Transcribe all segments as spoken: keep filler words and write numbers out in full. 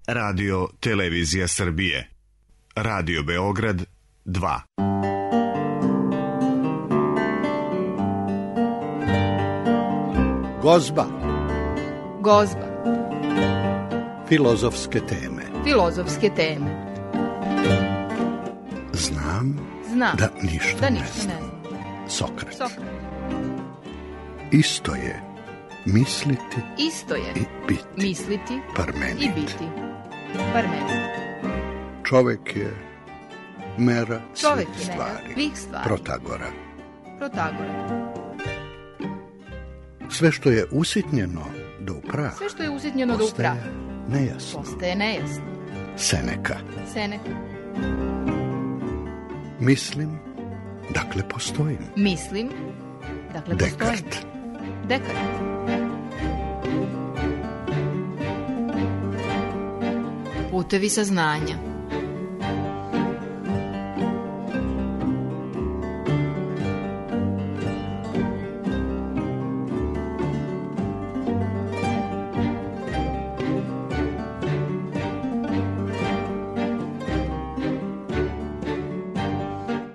Radio Televizija Srbije. Radio Beograd dva. Gozba. Gozba. Filozofske teme. Filozofske teme. Znam, Znam da ništa, da ne, ništa znam. ne znam. Sokrat. Sokrat. Isto je misliti Isto je i biti. misliti Parmenid. i biti. Parmenid. Čovek je mera Čovek svih je mera stvari. svih stvari. Protagora. Protagora. Sve što je usitnjeno do upraha Sve što je usitnjeno do postaje upraha nejasno. postaje nejasno. Seneka. Seneka. Mislim, dakle postojim. Mislim, dakle postojim. Dekart. Dekart. Putevi saznanja.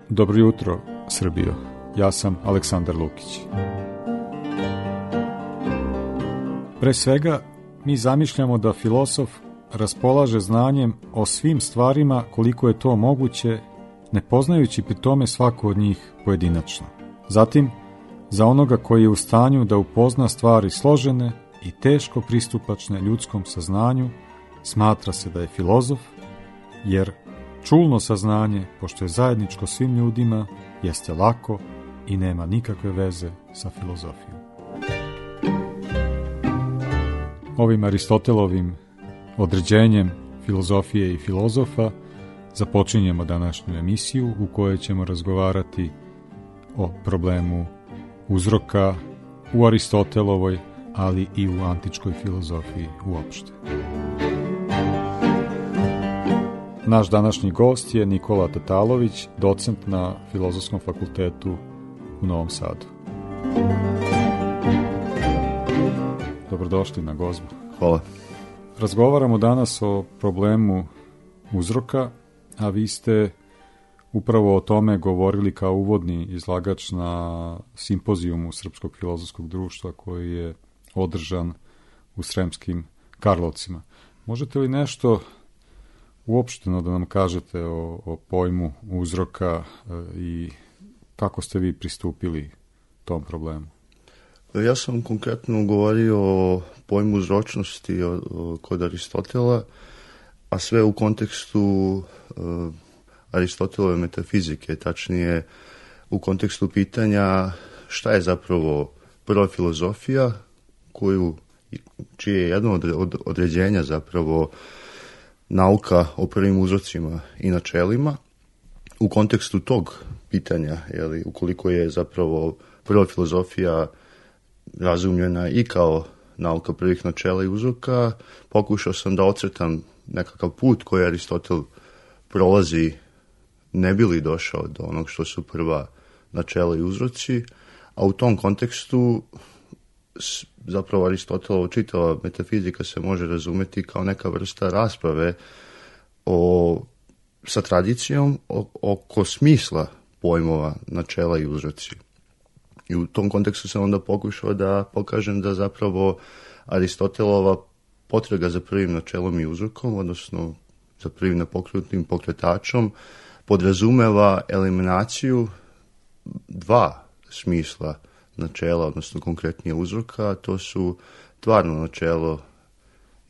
Dobro jutro, Srbijo. Ja sam Aleksandar Lukić. Pre svega, mi zamišljamo da filozof raspolaže znanjem o svim stvarima koliko je to moguće, ne poznajući pri tome svaku od njih pojedinačno. Zatim, za onoga koji je u stanju da upozna stvari složene i teško pristupačne ljudskom saznanju, smatra se da je filozof, jer čulno saznanje, pošto je zajedničko svim ljudima, jeste lako i nema nikakve veze sa filozofijom. Ovim Aristotelovim određenjem filozofije i filozofa započinjemo današnju emisiju u kojoj ćemo razgovarati o problemu uzroka u Aristotelovoj, ali i u antičkoj filozofiji uopšte. Naš današnji gost je Nikola Tatalović, docent na Filozofskom fakultetu u Novom Sadu. Dobrodošli na Gozbu. Hvala. Razgovaramo danas o problemu uzroka, a vi ste upravo o tome govorili kao uvodni izlagač na simpozijumu Srpskog filozofskog društva koji je održan u Sremskim Karlovcima. Možete li nešto uopšteno da nam kažete o, o pojmu uzroka e, i kako ste vi pristupili tom problemu? Ja sam konkretno govorio o pojmu uzročnosti o, o, kod Aristotela, a sve u kontekstu e, Aristotelove metafizike, tačnije u kontekstu pitanja šta je zapravo prva filozofija, koju, čije je jedno od, od određenja zapravo nauka o prvim uzrocima i načelima. U kontekstu tog pitanja, jeli, ukoliko je zapravo prva filozofija razumljena i kao nauka prvih načela i uzroka, pokušao sam da ocrtam nekakav put koji Aristotel prolazi ne bi li došao do onog što su prva načela i uzroci, a u tom kontekstu zapravo Aristotelova čitava metafizika se može razumeti kao neka vrsta rasprave o, sa tradicijom o, oko smisla pojmova načela i uzroci. I u tom kontekstu sam onda pokušao da pokažem da zapravo Aristotelova potraga za prvim načelom i uzrokom, odnosno za prvim nepokretnim pokretačom, podrazumeva eliminaciju dva smisla načela, odnosno konkretnije uzroka, to su tvarno načelo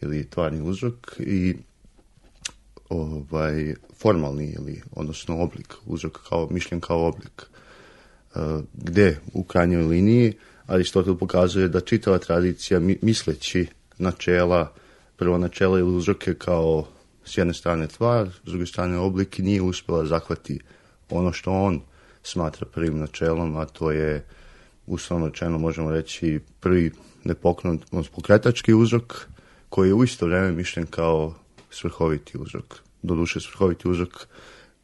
ili tvarni uzrok i ovaj formalni ili odnosno oblik, uzrok kao mišljen kao oblik. Uh, gde u krajnjoj liniji Aristotel pokazuje da čitava tradicija misleći načela, prvo načela ili uzroke kao s jedne strane tvar, s druge strane oblik, nije uspjela zahvati ono što on smatra prvim načelom, a to je uslovno rečeno možemo reći prvi nepokrenut, pokretački uzrok koji je u isto vrijeme mišljen kao svrhoviti uzrok. Doduše svrhoviti uzrok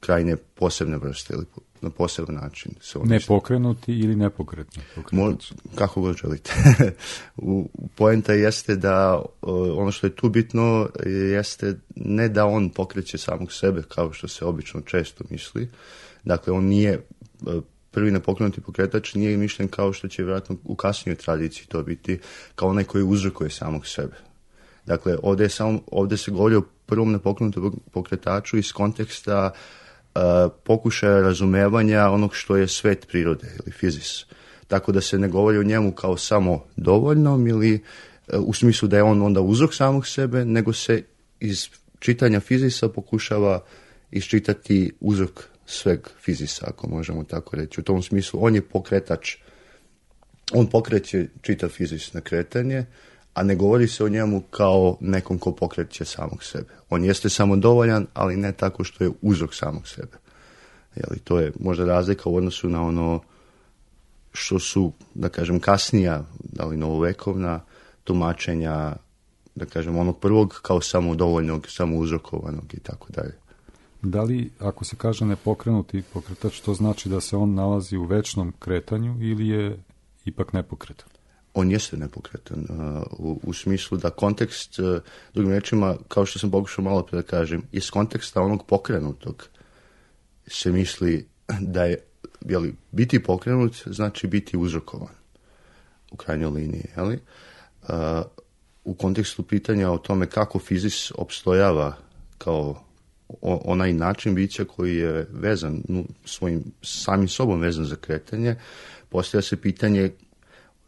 krajnje posebne vrste ili na poseban način. Se Nepokrenuti ili nepokretni? Mo, kako god želite. u, poenta jeste da ono što je tu bitno jeste ne da on pokreće samog sebe kao što se obično često misli. Dakle, on nije prvi nepokrenuti pokretač, nije mišljen kao što će vjerojatno u kasnijoj tradiciji to biti, kao onaj koji uzrokuje samog sebe. Dakle, ovdje, je samo, ovdje se govori o prvom nepokrenutom pokretaču iz konteksta uh, pokušaja razumevanja onog što je svet prirode ili fizis. Tako da se ne govori o njemu kao samo dovoljnom ili uh, u smislu da je on onda uzrok samog sebe, nego se iz čitanja fizisa pokušava iščitati uzrok sveg fizisa, ako možemo tako reći. U tom smislu on je pokretač, on pokreće čitav fizis na kretanje, a ne govori se o njemu kao nekom ko pokreće samog sebe. On jeste samodovoljan, ali ne tako što je uzrok samog sebe. Jeli, to je možda razlika u odnosu na ono što su, da kažem, kasnija, da li novovekovna tumačenja, da kažem, onog prvog kao samodovoljnog, samouzrokovanog i tako dalje. Da li, ako se kaže nepokrenuti pokretač, to znači da se on nalazi u večnom kretanju ili je ipak nepokretan? On jeste nepokretan, uh, u, u smislu da kontekst, uh, drugim rečima, kao što sam pokušao malo pre da kažem, iz konteksta onog pokrenutog se misli da je, jeli, biti pokrenut znači biti uzrokovan u krajnjoj liniji. Jeli? Uh, u kontekstu pitanja o tome kako fizis opstojava kao o, onaj način bića koji je vezan, no, svojim samim sobom vezan za kretanje, postavlja se pitanje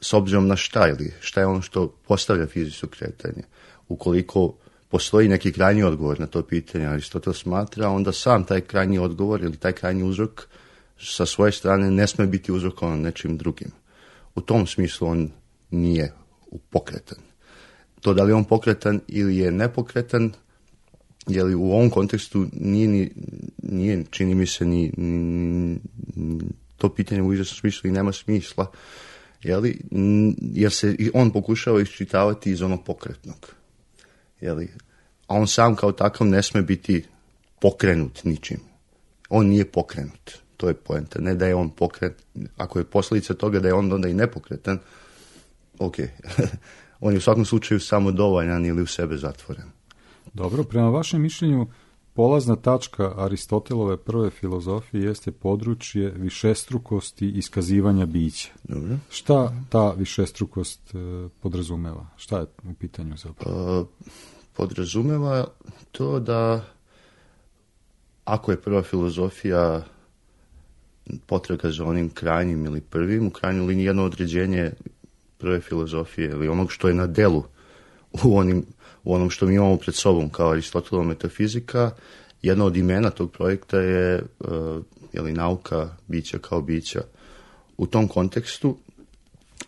s obzirom na šta ili šta je ono što postavlja fizičko kretanje. Ukoliko postoji neki krajnji odgovor na to pitanje, Aristotel smatra, onda sam taj krajnji odgovor ili taj krajnji uzrok sa svoje strane ne sme biti uzrokovan nečim drugim. U tom smislu on nije pokretan. To da li on pokretan ili je nepokretan, je li u ovom kontekstu nije, ni, nije čini mi se, ni, ni, to pitanje u izvjesnom smislu i nema smisla, jeli, jer se on pokušava iščitavati iz onog pokretnog. Jeli, a on sam kao takav ne sme biti pokrenut ničim. On nije pokrenut. To je poenta. Ne da je on pokret. Ako je posljedica toga da je on onda i nepokretan, ok. On je u svakom slučaju samodovoljan ili u sebe zatvoren. Dobro, prema vašem mišljenju, polazna tačka Aristotelove prve filozofije jeste područje višestrukosti iskazivanja bića. Dobro. Šta ta višestrukost e, podrazumeva? Šta je u pitanju zapravo? Uh, podrazumeva to da ako je prva filozofija potraga za onim krajnjim ili prvim, u krajnjoj liniji jedno određenje prve filozofije ili onog što je na delu u, onim, u onom što mi imamo pred sobom kao Aristotelova metafizika, jedno od imena tog projekta je uh, jeli, nauka bića kao bića. U tom kontekstu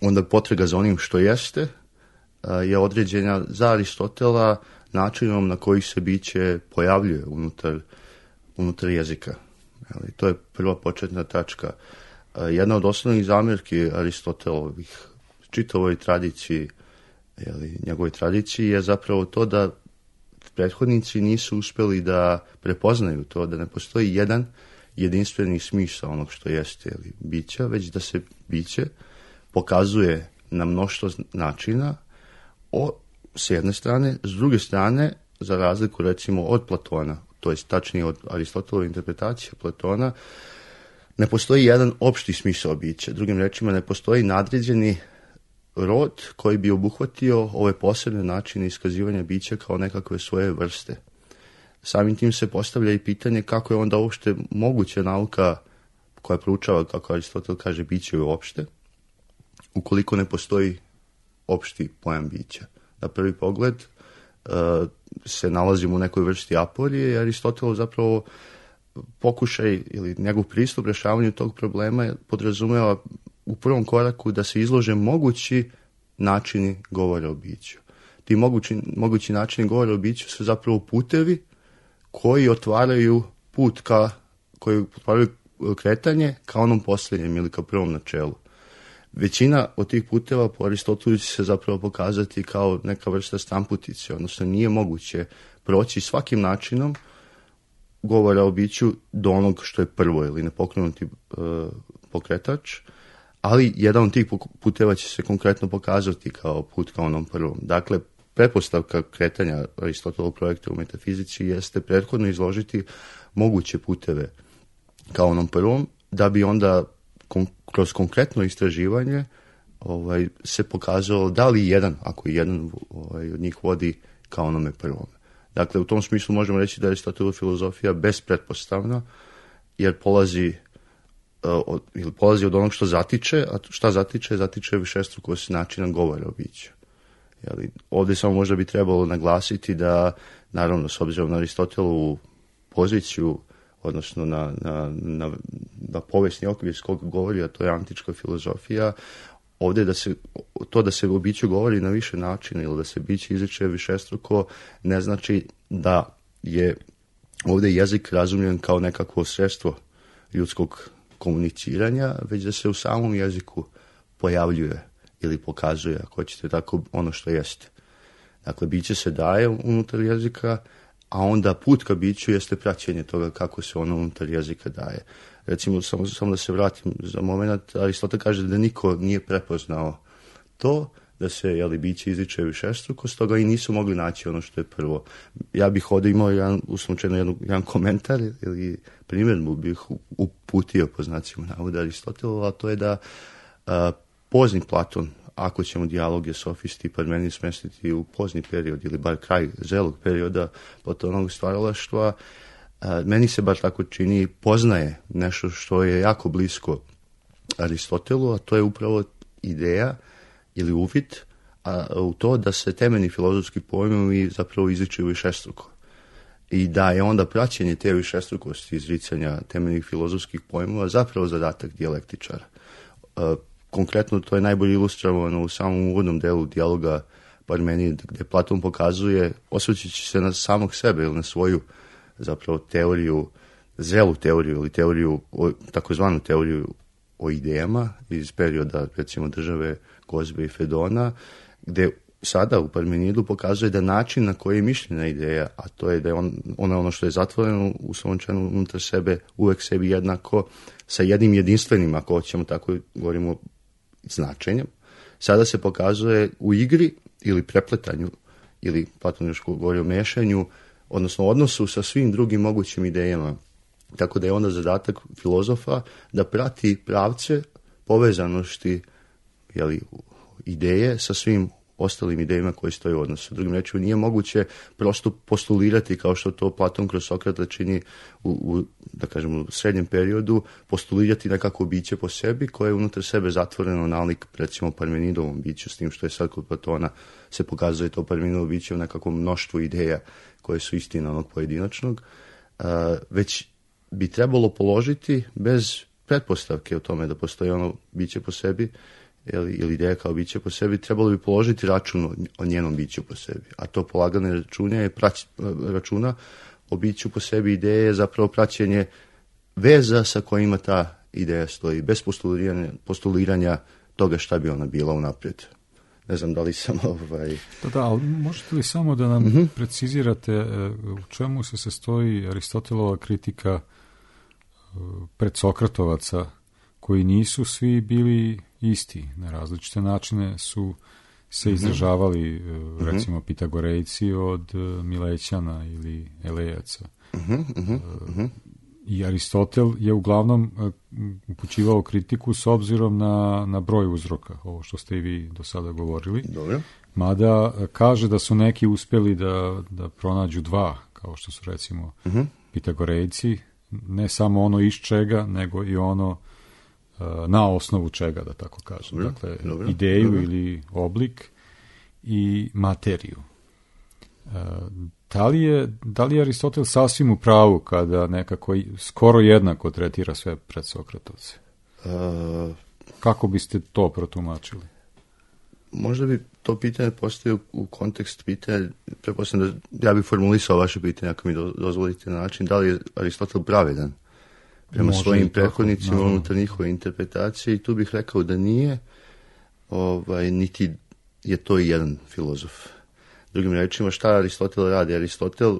onda potraga za onim što jeste uh, je određena za Aristotela načinom na koji se biće pojavljuje unutar, unutar jezika. Jeli, to je prva početna tačka. Uh, jedna od osnovnih zamjerki Aristotelovih čitavoj tradiciji, jeli, njegovoj tradiciji je zapravo to da prethodnici nisu uspjeli da prepoznaju to, da ne postoji jedan jedinstveni smisao onog što jeste jeli, bića, već da se biće pokazuje na mnoštvo načina o, s jedne strane, s druge strane, za razliku recimo od Platona, to je tačnije od Aristotelove interpretacije Platona, ne postoji jedan opšti smisao bića. Drugim rečima, ne postoji nadređeni rod koji bi obuhvatio ove posebne načine iskazivanja bića kao nekakve svoje vrste. Samim tim se postavlja i pitanje kako je onda uopšte moguća nauka koja proučava, kako Aristotel kaže, biće uopšte, ukoliko ne postoji opšti pojam bića. Na prvi pogled uh, se nalazimo u nekoj vrsti aporije i Aristotelov zapravo pokušaj ili njegov pristup rješavanju tog problema podrazumeva u prvom koraku da se izlože mogući načini govora o biću. Ti mogući, mogući načini govora o biću su zapravo putevi koji otvaraju put ka, koji otvaraju kretanje ka onom posljednjem ili ka prvom načelu. Većina od tih puteva po Aristotelu će se zapravo pokazati kao neka vrsta stramputice, odnosno nije moguće proći svakim načinom govora o biću do onog što je prvo ili nepokrenuti uh, pokretač, ali jedan od tih puteva će se konkretno pokazati kao put ka onom prvom. Dakle, pretpostavka kretanja Aristotelovog projekta u metafizici jeste prethodno izložiti moguće puteve ka onom prvom, da bi onda kon- kroz konkretno istraživanje ovaj, se pokazalo da li jedan, ako jedan ovaj, od njih vodi ka onome prvome. Dakle, u tom smislu možemo reći da je Aristotelova filozofija bezpretpostavna, jer polazi, uh, od, ili polazi od onog što zatiče, a šta zatiče? Zatiče višestrukost načina govora o biću. Jeli, ovdje samo možda bi trebalo naglasiti da, naravno, s obzirom na Aristotelovu poziciju, odnosno na, na, na, na povijesni okvir s kog govori, a to je antička filozofija, ovdje da se, to da se o biću govori na više načina ili da se biće izriče višestruko ne znači da je ovdje jezik razumljen kao nekakvo sredstvo ljudskog komuniciranja, već da se u samom jeziku pojavljuje ili pokazuje, ako hoćete tako, ono što jeste. Dakle, biće se daje unutar jezika, a onda put ka biću jeste praćenje toga kako se ono unutar jezika daje. Recimo, samo, samo da se vratim za moment, Aristotel kaže da niko nije prepoznao to, da se, jeli, biće izriče višestruko, stoga i nisu mogli naći ono što je prvo. Ja bih ovdje imao jedan, uslučajno jedan, jedan komentar ili primjedbu bih uputio po znacima navoda Aristotelova, a to je da a, pozni Platon, ako ćemo dijaloge sofisti i Parmenid smestiti u pozni period ili bar kraj zrelog perioda Platonovog stvaralaštva, meni se bar tako čini, poznaje nešto što je jako blisko Aristotelu, a to je upravo ideja ili uvid a, u to da se temeljni filozofski pojmovi zapravo izriču višestruko. I da je onda praćenje te višestrukosti izricanja temeljnih filozofskih pojmova zapravo zadatak dijalektičara. A, konkretno to je najbolje ilustrovano u samom uvodnom delu dijaloga Parmenid, gdje Platon pokazuje, osvrćući se na samog sebe ili na svoju zapravo teoriju, zrelu teoriju ili teoriju, takozvanu teoriju o idejama iz perioda, recimo, države Gozbe i Fedona, gdje sada u Parmenidu pokazuje da način na koji je mišljena ideja, a to je da je on, ona ono što je zatvoreno u svom članu unutar sebe, uvek sebi jednako, sa jednim jedinstvenim, ako hoćemo tako govorimo, značenjem, sada se pokazuje u igri ili prepletanju, ili Platon još govori o mešanju, odnosno odnosu sa svim drugim mogućim idejama. Tako da je onda zadatak filozofa da prati pravce povezanosti, jeli, ideje sa svim ostalim idejama koje stoje u odnosu. Drugim rečima, nije moguće prosto postulirati kao što to Platon kroz Sokrata čini u, u, da kažem, u srednjem periodu, postulirati nekako biće po sebi koje je unutar sebe zatvoreno nalik, recimo, Parmenidovom biću, s tim što je sad kod Platona se pokazuje to Parmenidovo biće u nekakvom mnoštvu ideja koje su istina onog pojedinačnog, uh, već bi trebalo položiti bez pretpostavke o tome da postoji ono biće po sebi, ili, ili ideja kao biće po sebi, trebalo bi položiti račun o njenom biću po sebi. A to polagane računa je prać, računa o biću po sebi ideje je zapravo praćenje veza sa kojima ta ideja stoji, bez postuliranja, postuliranja toga šta bi ona bila unaprijed. Ne znam da li sam ovaj... Da, da, ali možete li samo da nam mm-hmm. precizirate u čemu se sastoji Aristotelova kritika predsokratovaca koji nisu svi bili isti, na različite načine su se izražavali, mm-hmm. recimo, Pitagorejci od Milećana ili Elejaca. Mm-hmm. Mm-hmm. I Aristotel je uglavnom upućivao kritiku s obzirom na, na broj uzroka, ovo što ste i vi do sada govorili. Dobro. Mada kaže da su neki uspjeli da, da pronađu dva, kao što su, recimo, mm-hmm. Pitagorejci, ne samo ono iz čega, nego i ono na osnovu čega, da tako kažem. Dobro, dakle, dobro, ideju dobro. ili oblik i materiju. Da li je, da li je Aristotel sasvim u pravu kada nekako skoro jednako tretira sve predsokratovce? Uh, Kako biste to protumačili? Možda bi to pitanje postavio u kontekst pitanja, pretpostavljam da ja bih formulisao vaše pitanje, ako mi do, dozvolite, na način da li je Aristotel pravedan prema Može svojim prethodnicima unutar njihove interpretacije, i tu bih rekao da nije, ovaj, niti je to i jedan filozof. Drugim rečima, šta Aristotel radi? Aristotel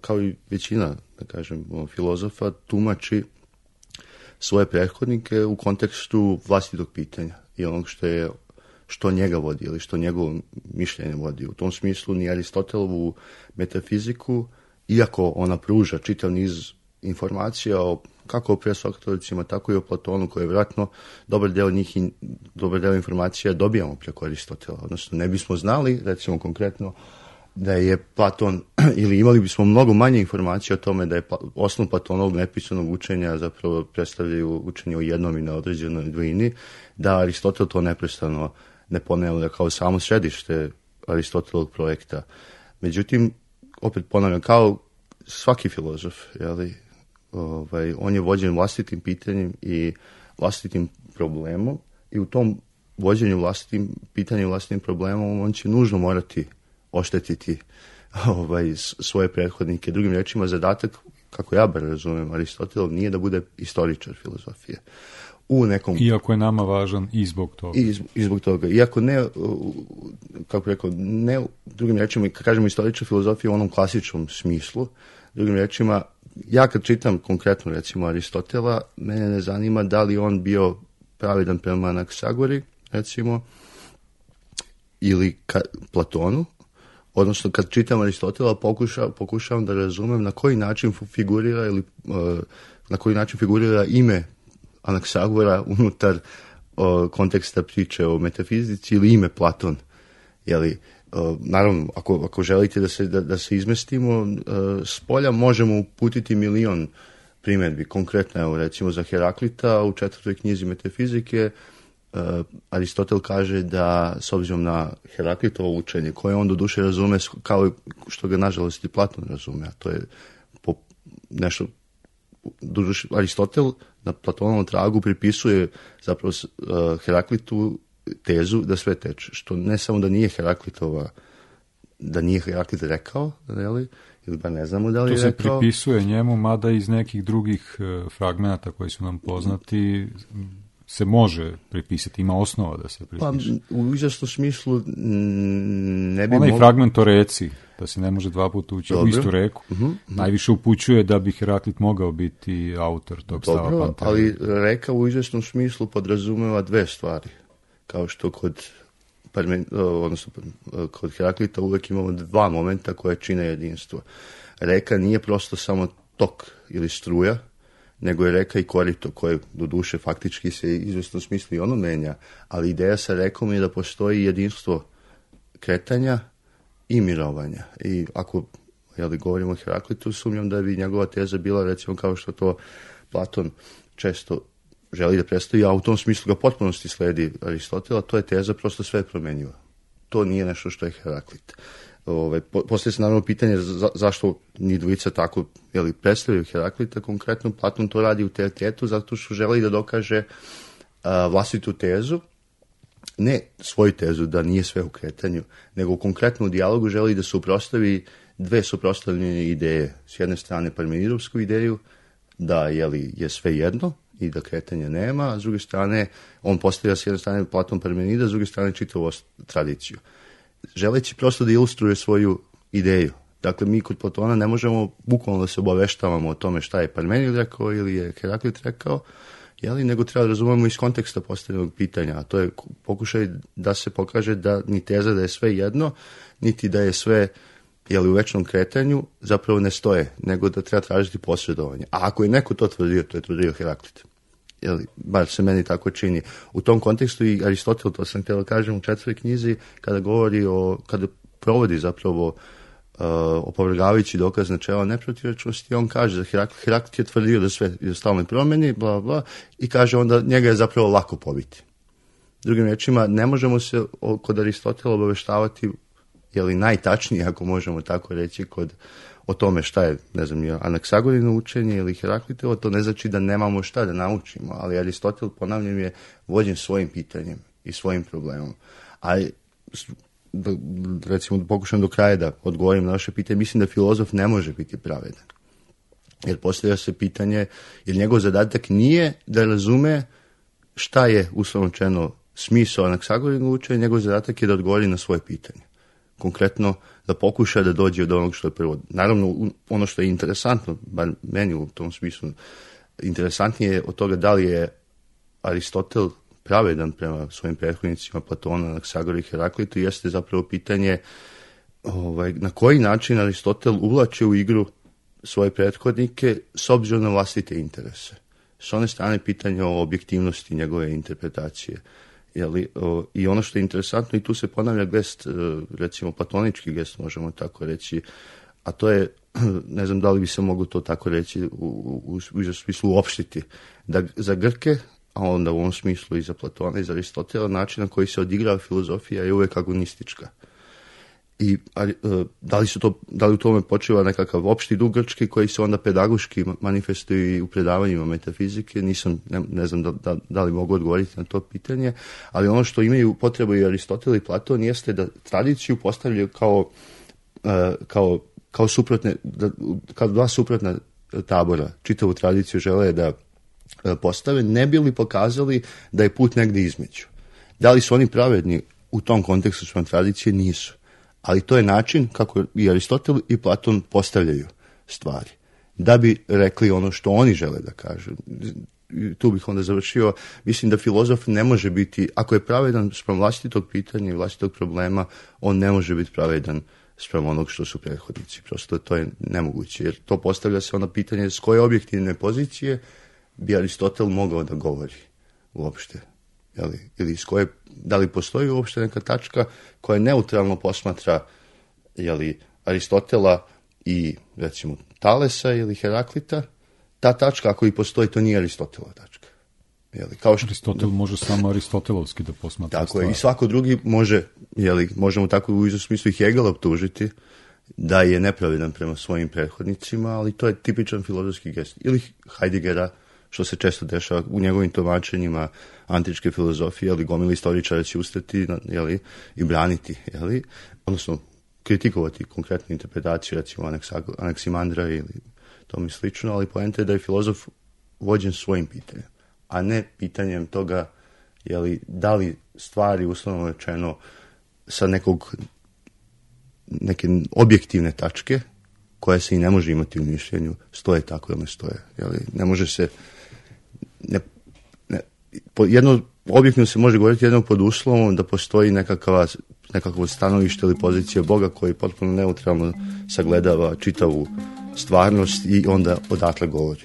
kao i većina, da kažem, filozofa, tumači svoje prethodnike u kontekstu vlastitog pitanja i onog što je što njega vodi ili što njegovo mišljenje vodi. U tom smislu ni Aristotelovu metafiziku, iako ona pruža čitav niz informacija o, kako o presokratovicima, tako i o Platonu, koje je vjerojatno dobar deo njih i dobar deo informacija dobijamo preko Aristotela. Odnosno, ne bismo znali, recimo konkretno, da je Platon, ili imali bismo mnogo manje informacija o tome da je osnov Platonovog nepisanog učenja zapravo predstavljaju učenje o jednom i na određenoj dvojini, da Aristotel to neprestano ne ponavlja kao samo središte Aristotelovog projekta. Međutim, opet ponavljam, kao svaki filozof, jeli, ovaj, on je vođen vlastitim pitanjem i vlastitim problemom i u tom vođenju vlastitim pitanjem, vlastitim problemom, on će nužno morati oštetiti ovaj, svoje prethodnike. Drugim rečima, zadatak, kako ja bar razumem, Aristotelov nije da bude istoričar filozofije. U nekom... Iako je nama važan i zbog toga. I, i zbog toga. Iako ne, kako rekao, ne, drugim rečima, kad kažemo istoričar filozofije u onom klasičnom smislu, drugim rečima, ja kad čitam konkretno, recimo, Aristotela, mene ne zanima da li on bio pravedan prema Anaksagori, recimo, ili ka, Platonu, odnosno kad čitam Aristotela pokuša, pokušavam da razumem na koji način figurira ili uh, na koji način figurira ime Anaksagora unutar uh, konteksta priče o metafizici ili ime Platon. Jeli, uh, naravno, ako, ako želite da se, da, da se izmestimo uh, s polja, možemo uputiti milion primjedbi. Konkretno, evo, recimo za Heraklita u četvrtoj knjizi metafizike Uh, Aristotel kaže da, s obzirom na Heraklitovo učenje, koje on doduše razume kao što ga nažalost i Platon razume, a to je po nešto, doduše, Aristotel na Platonovom tragu pripisuje zapravo uh, Heraklitu tezu da sve teče, što ne samo da nije Heraklitova, da nije Heraklit rekao, ili, ili ba ne znamo da li je rekao. To se pripisuje njemu, mada iz nekih drugih uh, fragmenata koji su nam poznati se može pripisati, ima osnova da se pripiše. Pa u izvjesnom smislu ne bi onaj mogli... fragment o reci, da se ne može dva puta ući u istu reku, uh-huh. najviše upućuje da bi Heraklit mogao biti autor tog Dobro, stava Pantera. Ali reka u izvjesnom smislu podrazumeva dve stvari. Kao što kod, odnosno, kod Heraklita uvek imamo dva momenta koje čine jedinstvo. Reka nije prosto samo tok ili struja, nego je reka i korito, koje do duše faktički se izvjesno smisli ono menja, ali ideja sa rekom je da postoji jedinstvo kretanja i mirovanja. I ako jeli, govorimo o Heraklitu, sumnjam da bi njegova teza bila, recimo, kao što to Platon često želi da predstavi, a u tom smislu ga potpunosti sledi Aristotela, to je teza prosto sve promenjiva. To nije nešto što je Heraklit. Ove, poslije se naravno pitanje za, zašto ni dvojica tako jeli, predstavljaju Heraklita, konkretno Platon to radi u teotetu zato što želi da dokaže a, vlastitu tezu, ne svoju tezu da nije sve u kretanju, nego u konkretnom dijalogu želi da suprotstavi dve suprotstavljene ideje. S jedne strane Parmenidovsku ideju da jeli, je sve jedno i da kretanja nema, a s druge strane on postavlja s jedne strane Platon Parmenida, s druge strane čitavu tradiciju. Želeći prosto da ilustruje svoju ideju. Dakle, mi kod Platona ne možemo bukvalno da se obaveštavamo o tome šta je Parmenid rekao ili je Heraklit rekao, jeli, nego treba da razumemo iz konteksta postavljenog pitanja, a to je pokušaj da se pokaže da ni teza da je sve jedno, niti da je sve jeli, u večnom kretanju, zapravo ne stoje, nego da treba tražiti posredovanje. A ako je neko to tvrdio, to je tvrdio Heraklit. Jeli, bar se meni tako čini. U tom kontekstu i Aristotel, to sam htjela kažem u četvrtoj knjizi, kada govori o, kada provodi zapravo uh, opovrgavajući dokaz načela neprotivrečnosti, on kaže da Heraklit, Heraklit je tvrdio da sve je stalno promeni, bla, bla, i kaže onda njega je zapravo lako pobiti. Drugim rečima, ne možemo se kod Aristotela obaveštavati, jeli najtačnije, ako možemo tako reći, kod o tome šta je, ne znam, Anaksagorino učenje ili Heraklitovo, to ne znači da nemamo šta da naučimo, ali Aristotel, ponavljam, je vođen svojim pitanjem i svojim problemom. A da, recimo, da pokušam do kraja da odgovorim na vaše pitanje, mislim da filozof ne može biti pravedan. Jer postavlja se pitanje, jer njegov zadatak nije da razume šta je, uslovno rečeno, smisao Anaksagorino učenja, njegov zadatak je da odgovori na svoje pitanje. konkretno da pokuša da dođe do onog što je prvo. Naravno, ono što je interesantno, bar meni u tom smislu, interesantnije je od toga da li je Aristotel pravedan prema svojim prethodnicima Platona, Anaksagora i Heraklitu, jeste zapravo pitanje ovaj, na koji način Aristotel uvlače u igru svoje prethodnike s obzirom na vlastite interese. S one strane pitanje o objektivnosti njegove interpretacije. Jeli, o, I ono što je interesantno, i tu se ponavlja gest, recimo platonički gest, možemo tako reći, a to je, ne znam da li bi se moglo to tako reći, u, u, u smislu uopštiti, da za Grke, a onda u ovom smislu i za Platona i za Aristotela, način na koji se odigrava filozofija je uvek agonistička. I a, da li su to, da li u tome počiva nekakav opšti duh grčki koji se onda pedagoški manifestuje u predavanjima metafizike, nisam, ne, ne znam da, da, da li mogu odgovoriti na to pitanje, ali ono što imaju potrebu i Aristotel i Platon jeste da tradiciju postavljaju kao, kao, kao suprotne, da, kao dva suprotna tabora, čitavu tradiciju žele da postave, ne bi li pokazali da je put negde između. Da li su oni pravedni u tom kontekstu svojom tradicije? Nisu. Ali to je način kako i Aristotel i Platon postavljaju stvari. Da bi rekli ono što oni žele da kažu. Tu bih onda završio. Mislim da filozof ne može biti, ako je pravedan spram vlastitog pitanja i vlastitog problema, on ne može biti pravedan spram onog što su prethodnici. Prosto to je nemoguće. Jer to postavlja se ono pitanje s koje objektivne pozicije bi Aristotel mogao da govori uopšte. Jeli, ili s koje, da li postoji uopšte neka tačka koja neutralno posmatra jeli, Aristotela i recimo Talesa ili Heraklita, ta tačka ako i postoji, to nije Aristotelova tačka. Jeli, kao što, Aristotel može samo aristotelovski da posmatra tako stvari. Je, i svako drugi može, jeli, možemo tako u izvom smislu i Hegela optužiti da je nepravedan prema svojim prethodnicima, ali to je tipičan filozofski gest. Ili Heideggera, što se često dešava u njegovim tumačenjima antičke filozofije, ali gomila istoričara će ustati jeli, i braniti, jeli, odnosno kritikovati konkretnu interpretaciju, recimo Anaksimandra ili tome slično, ali poenta je da je filozof vođen svojim pitanjem, a ne pitanjem toga jeli, da li stvari, uslovno rečeno, sa nekog neke objektivne tačke, koja se i ne može imati u mišljenju, stoje tako ili ne stoje. Jeli, ne može se Ne, ne, jedno, objektivno se može govoriti jednom pod uslovom da postoji nekakva, nekakvo stanovište ili pozicija Boga koji potpuno neutralno sagledava čitavu stvarnost i onda odatle govori.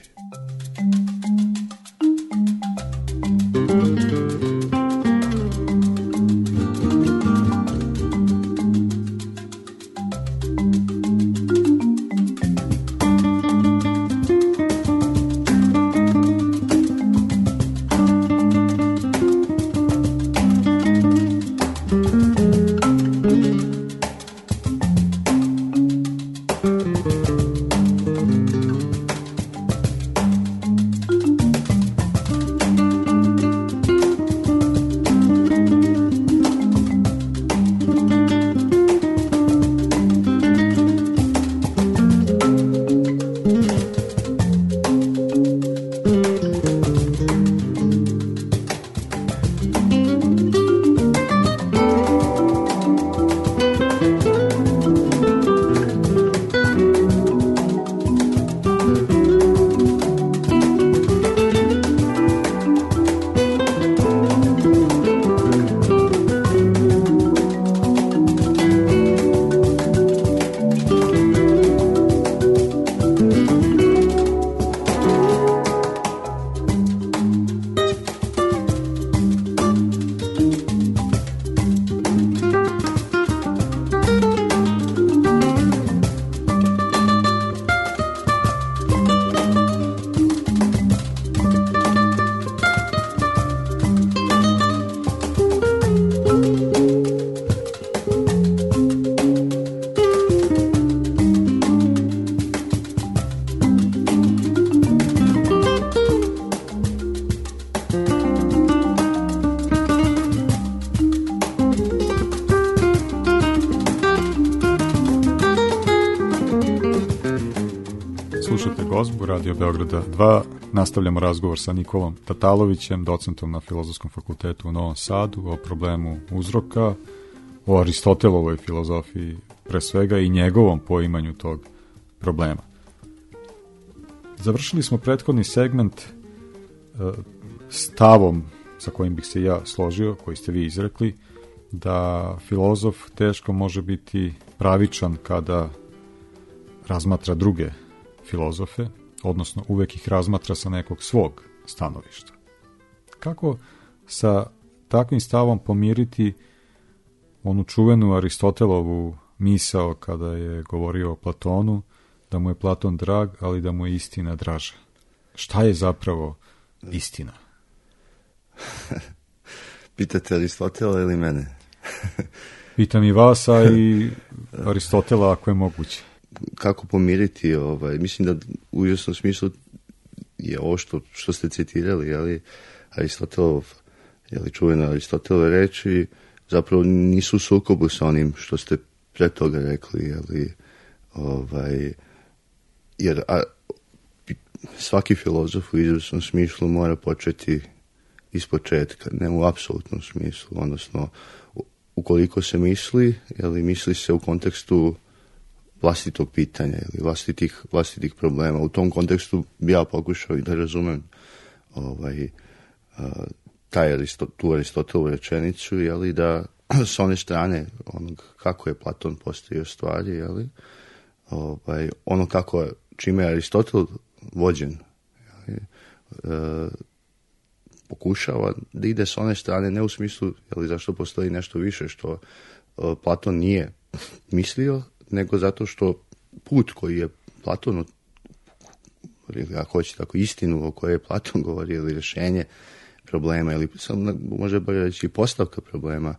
Gozbu, Radio Beograda dva. Nastavljamo razgovor sa Nikolom Tatalovićem, docentom na Filozofskom fakultetu u Novom Sadu, o problemu uzroka o Aristotelovoj filozofiji pre svega i njegovom poimanju tog problema. Završili smo prethodni segment stavom sa kojim bih se ja složio, koji ste vi izrekli, da filozof teško može biti pravičan kada razmatra druge filozofe, odnosno uvek ih razmatra sa nekog svog stanovišta. Kako sa takvim stavom pomiriti onu čuvenu Aristotelovu misao kada je govorio o Platonu, da mu je Platon drag, ali da mu je istina draža? Šta je zapravo istina? Pitate Aristotela ili mene? Pitam i vas, a i Aristotela ako je moguće. Kako pomiriti, ovaj, mislim da u izvjesnom smislu je ovo što, što ste citirali, jeli, Aristotelov, jeli, čuvena Aristotelove reči, zapravo nisu u sukobu sa onim što ste pre toga rekli, jeli, ovaj, jer a, svaki filozof u izvjesnom smislu mora početi iz početka, ne u apsolutnom smislu, odnosno ukoliko se misli, jeli, misli se u kontekstu vlastitog pitanja ili vlastitih, vlastitih problema. U tom kontekstu bi ja pokušao i da razumem ovaj, a, taj Aristot, tu Aristotelovu rečenicu, jeli, da s one strane onog kako je Platon postavio stvari, jeli, ovaj, ono kako, čime je Aristotel vođen, jeli, e, pokušava da ide s one strane, ne u smislu, jeli, zašto postoji nešto više što e, Platon nije mislio, nego zato što put koji je Platon, ili ako hoće tako, istinu o kojoj je Platon govorio, ili rješenje problema, ili sam može bolje reći postavka problema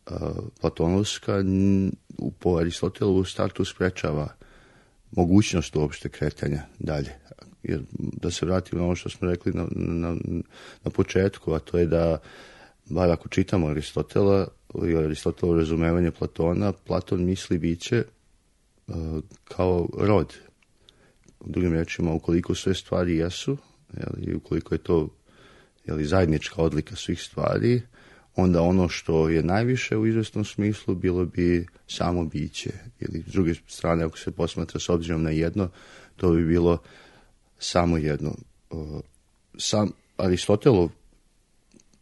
uh, platonovska, n, po Aristotelu u startu sprečava mogućnost uopšte kretanja dalje. Jer da se vratimo na ono što smo rekli na, na, na početku, a to je da, bar ako čitamo Aristotela ili Aristotelovo razumevanje Platona, Platon misli biće kao rod. U drugim rečima, ukoliko sve stvari jesu, jeli, ukoliko je to, jeli, zajednička odlika svih stvari, onda ono što je najviše u izvjesnom smislu bilo bi samo biće. Ili s druge strane, ako se posmatra s obzirom na jedno, to bi bilo samo jedno. Sam Aristotelov,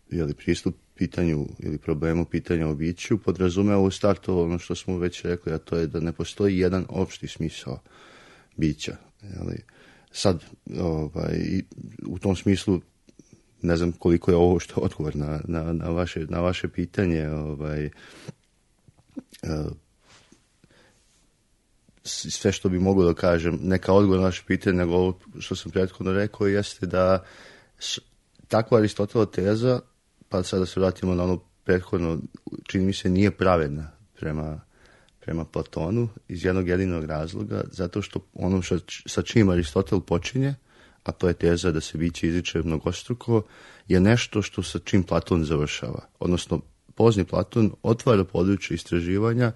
jeli, pristup pitanju ili problemu pitanja o biću podrazumeva u startu ono što smo već rekli, a to je da ne postoji jedan opšti smisao bića. Jeli. Sad, ovaj, u tom smislu, ne znam koliko je ovo što odgovor na, na, na, vaše, na vaše pitanje. Ovaj, sve što bi mogao da kažem, neka odgovor na vaše pitanje, nego ovo što sam prethodno rekao, jeste da takva Aristotelova teza, pa sada se vratimo na ono prethodno, čini mi se nije pravedna prema, prema Platonu iz jednog jedinog razloga, zato što ono što, sa čim Aristotel počinje, a to je teza da se biće izriče mnogostruko, je nešto što sa čim Platon završava. Odnosno, pozni Platon otvara područje istraživanja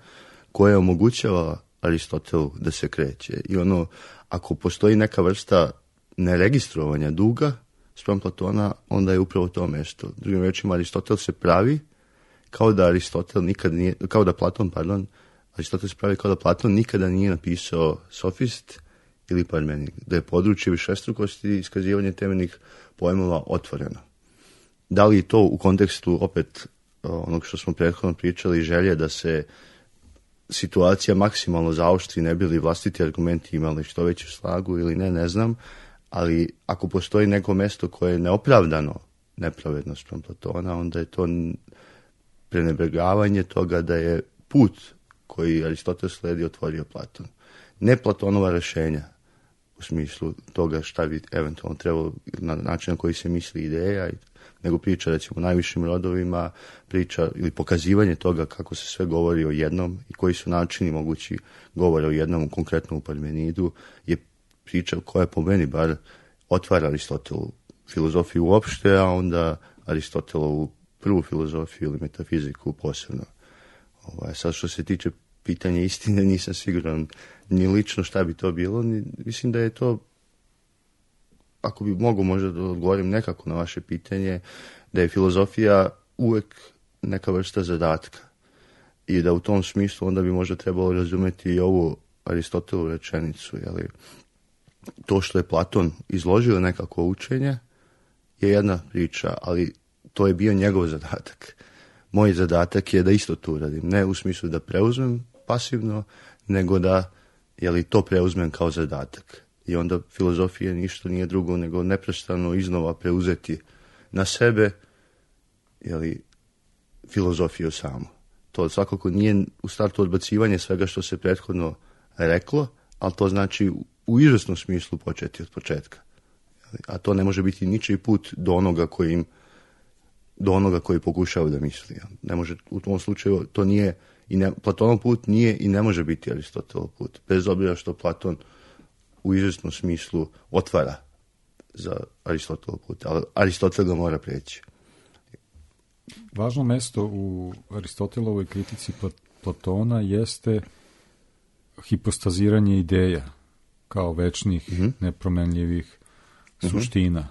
koje omogućava Aristotelu da se kreće. I ono, ako postoji neka vrsta neregistrovanja duga spram Platona, onda je upravo to mesto. Drugim rečima, Aristotel se pravi kao da Aristotel nikad nije, kao da Platon, pardon, Aristotel se pravi kao da Platon nikada nije napisao Sofist ili Parmenik, da je područje višestrukosti i iskazivanje temeljnih pojmova otvoreno. Da li to u kontekstu opet onog što smo prethodno pričali, želje da se situacija maksimalno zaoštri, ne bi li vlastiti argumenti imali što veću snagu ili ne, ne znam, ali ako postoji neko mesto koje je neopravdano nepravedno spram Platona, onda je to prenebregavanje toga da je put koji Aristotel sledi otvorio Platon. Ne Platonova rešenja u smislu toga šta bi eventualno trebalo, na način na koji se misli ideja, nego priča, recimo, o najvišim rodovima, priča ili pokazivanje toga kako se sve govori o jednom i koji su načini mogući govora o jednom, konkretno u Parmenidu, je priča koja po meni bar otvara Aristotelu filozofiju uopšte, a onda Aristotelovu prvu filozofiju ili metafiziku posebno. Ovaj, sad što se tiče pitanja istine, nisam siguran ni lično šta bi to bilo. Ni, mislim da je to, ako bi mogu možda da odgovorim nekako na vaše pitanje, da je filozofija uvek neka vrsta zadatka. i da u tom smislu onda bi možda trebalo razumjeti i ovu Aristotelovu rečenicu, jeli, to što je Platon izložio nekako učenje je jedna priča, ali to je bio njegov zadatak. Moj zadatak je da isto to uradim, ne u smislu da preuzmem pasivno, nego da, jeli, to preuzmem kao zadatak. I onda filozofija ništa nije drugo nego neprestano iznova preuzeti na sebe, jeli, filozofiju samu. To svakako nije u startu odbacivanje svega što se prethodno reklo, ali to znači u izvjesnom smislu početi od početka. A to ne može biti ničiji put do onoga koji im, do onoga koji pokušava da misli. Ne može, u tom slučaju to nije, i ne, Platonov put nije i ne može biti Aristotelov put, bez obzira što Platon u izvjesnom smislu otvara za Aristotelov put, ali Aristotel ga mora preći. Važno mesto u Aristotelovoj kritici Platona jeste hipostaziranje ideja kao večnih, mm-hmm. nepromenljivih mm-hmm. suština.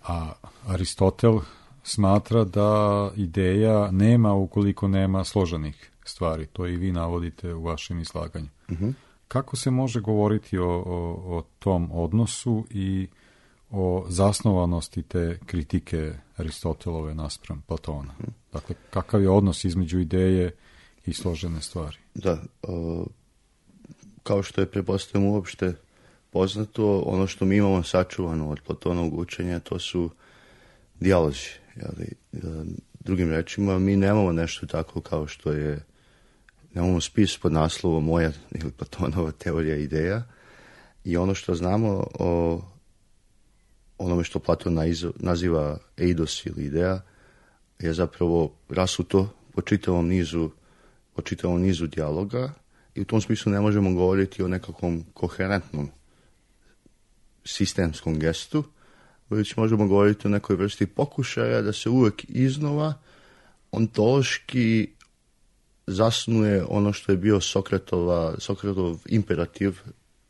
A Aristotel smatra da ideja nema ukoliko nema složenih stvari. To i vi navodite u vašem izlaganju. Mm-hmm. Kako se može govoriti o, o, o tom odnosu i o zasnovanosti te kritike Aristotelove naspram Platona? Dakle, kakav je odnos između ideje i složene stvari? Da, o, kao što je pretpostavljam uopšte poznato, ono što mi imamo sačuvano od Platonovog učenja, to su dijalozi. Jeli, drugim rečima, mi nemamo nešto tako kao što je, nemamo spis pod naslovom Moja ili Platonova teorija ideja, i ono što znamo o onome što Platon naziva eidos ili ideja je zapravo rasuto po čitavom nizu, po čitavom nizu dijaloga, i u tom smislu ne možemo govoriti o nekakvom koherentnom sistemskom gestu, već možemo govoriti o nekoj vrsti pokušaja da se uvijek iznova ontološki zasnuje ono što je bio Sokratova, Sokratov imperativ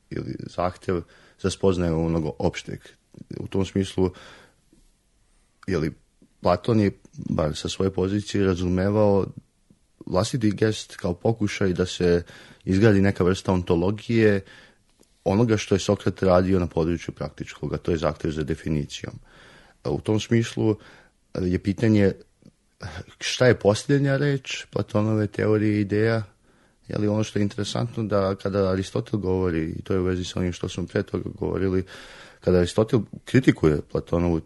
ili zahtjev za spoznaju onog opšteg. U tom smislu, jeli, Platon je, bar sa svoje pozicije, razumevao vlastiti gest kao pokušaj da se izgradi neka vrsta ontologije onoga što je Sokrat radio na području praktičkog, a to je zahtjev za definicijom. U tom smislu je pitanje šta je posljednja reč Platonove teorije ideja. Je li ono što je interesantno da kada Aristotel govori, i to je u vezi sa onim što smo pre toga govorili, kada Aristotel kritikuje Platonovu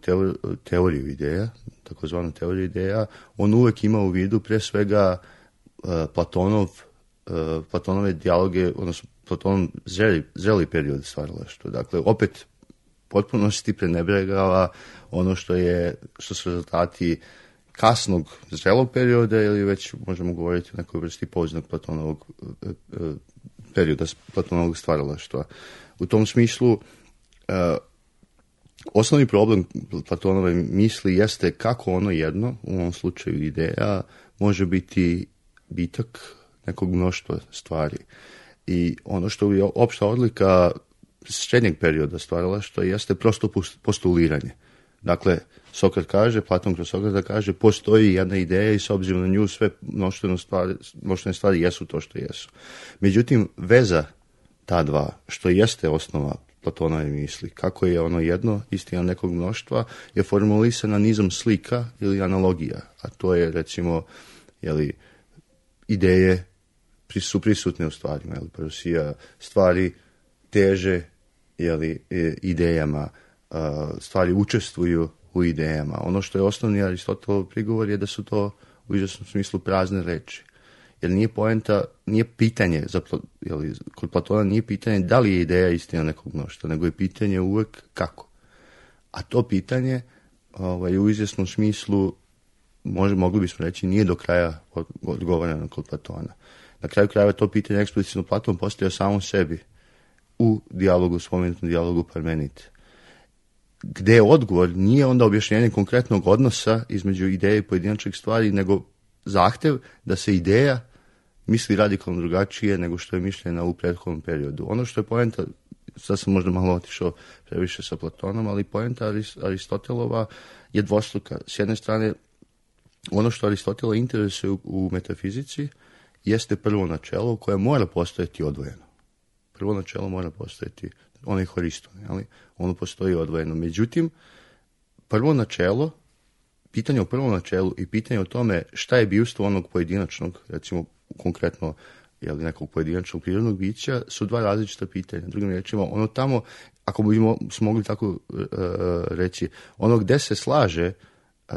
teoriju ideja, takozvanu teoriju ideja, on uvijek ima u vidu pre svega uh, Platonov, uh, Platonove dijaloge, odnosno Platonov zreli, zreli period stvaralaštva. Dakle, opet potpunosti prenebregava ono što je, što su rezultati kasnog zrelog perioda, ili već možemo govoriti o nekoj vrsti poznog Platonovog uh, perioda Platonovog stvaralaštva. U tom smislu, uh, osnovni problem Platonove misli jeste kako ono jedno, u ovom slučaju ideja, može biti bitak nekog mnoštva stvari. I ono što je opšta odlika srednjeg perioda stvaralaštva jeste prosto postuliranje. Dakle, Sokrat kaže, Platon kroz Sokrata kaže, postoji jedna ideja i s obzirom na nju sve mnoštvene stvari, mnoštvene stvari jesu to što jesu. Međutim, veza ta dva, što jeste osnova Platonove misli, kako je ono jedno, istina nekog mnoštva, je formulisana nizom slika ili analogija, a to je, recimo, jeli, ideje su prisutne u stvarima, jeli, parosija, stvari teže, jeli, idejama, stvari učestvuju u idejama. Ono što je osnovni Aristotelov prigovor je da su to u izvjesnom smislu prazne reči. Jer nije poenta, nije pitanje, za, jeli, kod Platona nije pitanje da li je ideja istina nekog mnoštva, nego je pitanje uvijek kako. A to pitanje ovaj, u izvjesnom smislu, može, mogli bismo reći, nije do kraja odgovoreno kod Platona. Na kraju krajeva to pitanje eksplicitno Platon postavio samom sebi u dijalogu, spomenutom dijalogu Parmenid. Gde je odgovor nije onda objašnjenje konkretnog odnosa između ideje i pojedinačnih stvari, nego zahtev da se ideja misli radikalno drugačije nego što je mišljena u prethodnom periodu. Ono što je poenta, sad sam možda malo otišao previše sa Platonom, ali poenta Aristotelova je dvostruka. S jedne strane, ono što Aristotela interesuje u, u metafizici jeste prvo načelo koje mora postojati odvojeno. Prvo načelo mora postojati, ono je Horiston, ali ono postoji odvojeno. Međutim, prvo načelo, pitanje o prvom načelu i pitanje o tome šta je bivstvo onog pojedinačnog, recimo konkretno jeli, nekog pojedinačnog prirodnog bića, su dva različita pitanja. Drugim riječima, ono tamo, ako bi mogli tako uh, reći, ono gde se slaže uh,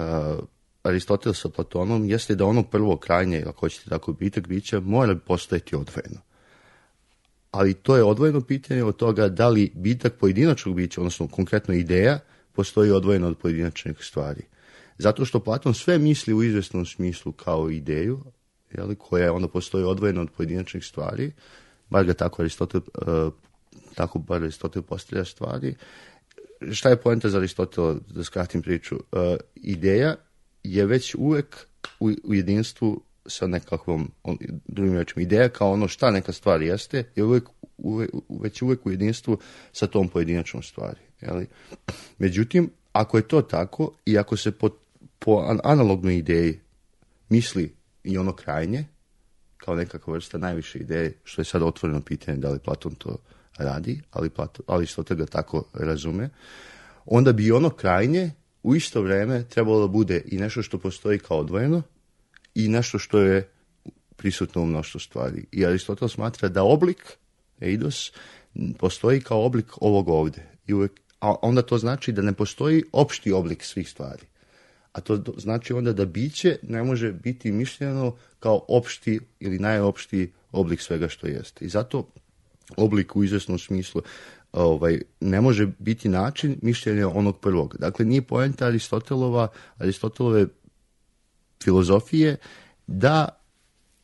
Aristotel sa Platonom, jeste da ono prvo krajnje, ako hoćete tako, bitak bića, mora postojati odvojeno. Ali to je odvojeno pitanje od toga da li bitak pojedinačnog bića, odnosno konkretno ideja, postoji odvojeno od pojedinačnih stvari. Zato što Platon sve misli u izvjesnom smislu kao ideju, jeli, koja onda postoji odvojeno od pojedinačnih stvari, bar ga tako Aristotel, uh, tako bar Aristotel postavlja stvari. Šta je poenta za Aristotela, da skratim priču? Uh, ideja je već uvek u, u jedinstvu sa nekakvom, on, drugim rečima, ideja kao ono šta neka stvar jeste, je uvek, uvek, već uvek u jedinstvu sa tom pojedinačnom stvari. Jeli? Međutim, ako je to tako i ako se po, po analognoj ideji misli i ono krajnje, kao nekakva vrsta najviše ideje, što je sad otvoreno pitanje da li Platon to radi, ali Aristotel ga tako razume, onda bi ono krajnje u isto vrijeme trebalo da bude i nešto što postoji kao odvojeno i nešto što je prisutno u mnoštvu stvari. I Aristotel smatra da oblik, eidos, postoji kao oblik ovog ovdje. I uvijek, a onda to znači da ne postoji opšti oblik svih stvari. A to znači onda da biće ne može biti mišljeno kao opšti ili najopštiji oblik svega što jeste. I zato oblik u izvjesnom smislu ovaj, ne može biti način mišljenja onog prvog. Dakle, nije poenta Aristotelova, Aristotelove filozofije da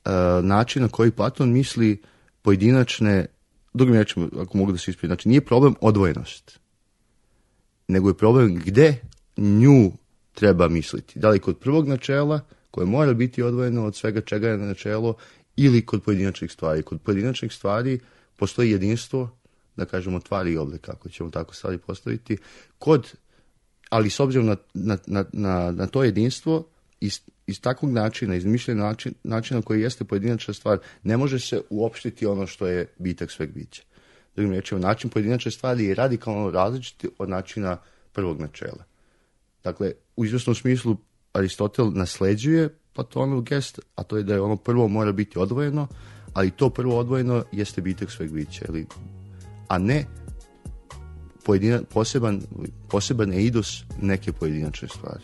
e, način na koji Platon misli pojedinačne, drugim rečima, ako mogu da se ispravim, znači nije problem odvojenost, nego je problem gde nju treba misliti. Da li kod prvog načela, koje mora biti odvojeno od svega čega je načelo, ili kod pojedinačnih stvari. Kod pojedinačnih stvari postoji jedinstvo, da kažemo tvari i oblika, ako ćemo tako stvari postaviti, kod, ali s obzirom na, na, na, na, na to jedinstvo, iz, iz takvog načina, iz mišljenja način, načina koji jeste pojedinačna stvar, ne može se uopštiti ono što je bitak sveg bića. Drugim rečima, način pojedinačne stvari je radikalno različit od načina prvog načela. Dakle, u izvjesnom smislu Aristotel nasleđuje Platonov gest, a to je da je ono prvo mora biti odvojeno, ali to prvo odvojeno jeste bitak sveg bića, ili, a ne pojedina, poseban, poseban eidos neke pojedinačne stvari.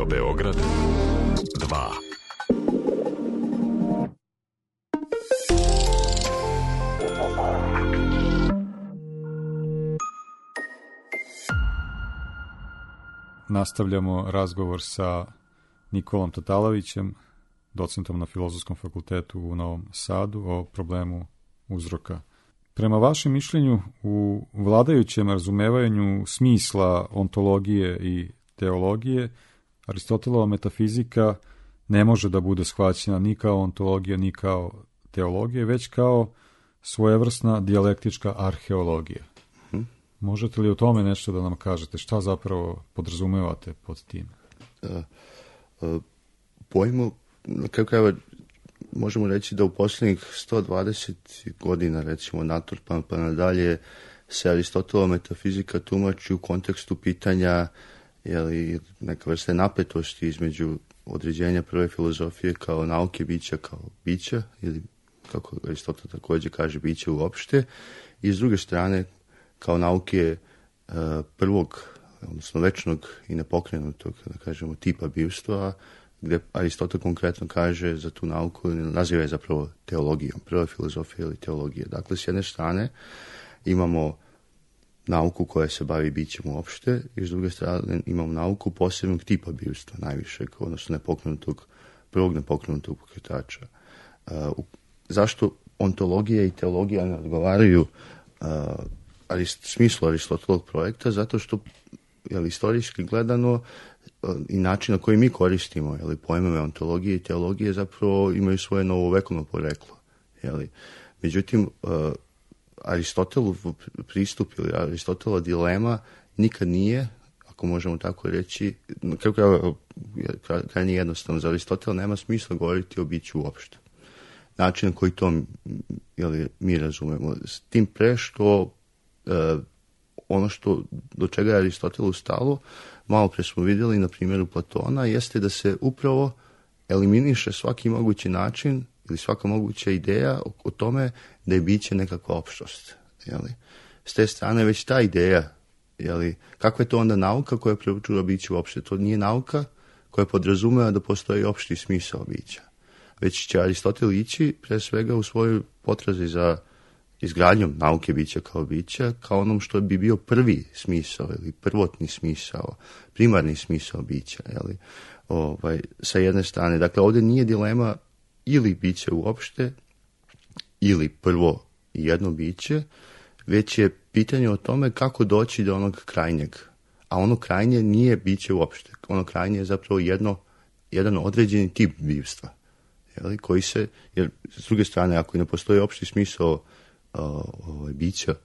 Radio Beograd dva. Nastavljamo razgovor sa Nikolom Tatalovićem, docentom na Filozofskom fakultetu u Novom Sadu, o problemu uzroka. Prema vašem mišljenju, u vladajućem razumevanju smisla ontologije i teologije, Aristotelova metafizika ne može da bude shvaćena ni kao ontologija, ni kao teologija, već kao svojevrsna dijalektička arheologija. Hmm. Možete li o tome nešto da nam kažete? Šta zapravo podrazumevate pod tim? Uh, uh, pojmu, na kraju krajeva, možemo reći da u posljednjih sto dvadeset godina, recimo Naturpan pa nadalje, se Aristotelova metafizika tumači u kontekstu pitanja, jeli, neka vrste napetosti između određenja prve filozofije kao nauke bića kao bića, ili kako Aristotel također kaže biće uopšte, i s druge strane kao nauke uh, prvog, odnosno večnog i nepokrenutog, da kažemo, tipa bivstva, gdje Aristotel konkretno kaže za tu nauku, naziva je zapravo teologijom, prva filozofija ili teologija. Dakle, s jedne strane imamo nauku koja se bavi bićem uopšte i s druge strane imamo nauku posebnog tipa bivstva, najvišeg, odnosno nepokrenutog, prvog nepokrenutog pokretača. Uh, zašto ontologija i teologija ne odgovaraju uh, arist, smislu Aristotelovog projekta? Zato što, jel, istorijski gledano, i način na koji mi koristimo, jeli, pojmove ontologije i teologije zapravo imaju svoje novovekovno poreklo. Jeli. Međutim, uh, Aristotelov pristup ili Aristotelova dilema nikad nije, ako možemo tako reći, kako krajnje jednostavno, za Aristotela nema smisla govoriti o biću uopšte. Način na koji to, jeli, mi razumemo. S tim pre što uh, ono što, do čega je Aristotelu stalo, malo pre smo vidjeli na primjeru Platona, jeste da se upravo eliminiše svaki mogući način ili svaka moguća ideja o, o tome da je biće nekakva opštost. Jeli? S te strane već ta ideja, jeli, kakva je to onda nauka koja preučava biće uopšte? To nije nauka koja podrazumeva da postoji opšti smisao bića. Već će Aristotel ići pre svega u svojoj potrazi za izgradnjom nauke bića kao bića, kao onom što bi bio prvi smisao ili prvotni smisao, primarni smisao bića, jeli? Ovaj, sa jedne strane. Dakle, ovdje nije dilema ili biće uopšte, ili prvo jedno biće, već je pitanje o tome kako doći do onog krajnjeg. A ono krajnje nije biće uopšte. Ono krajnje je zapravo jedno, jedan određeni tip bivstva, jeli? Koji se, jer s druge strane, ako ne postoji opšti smisao Ovaj, bića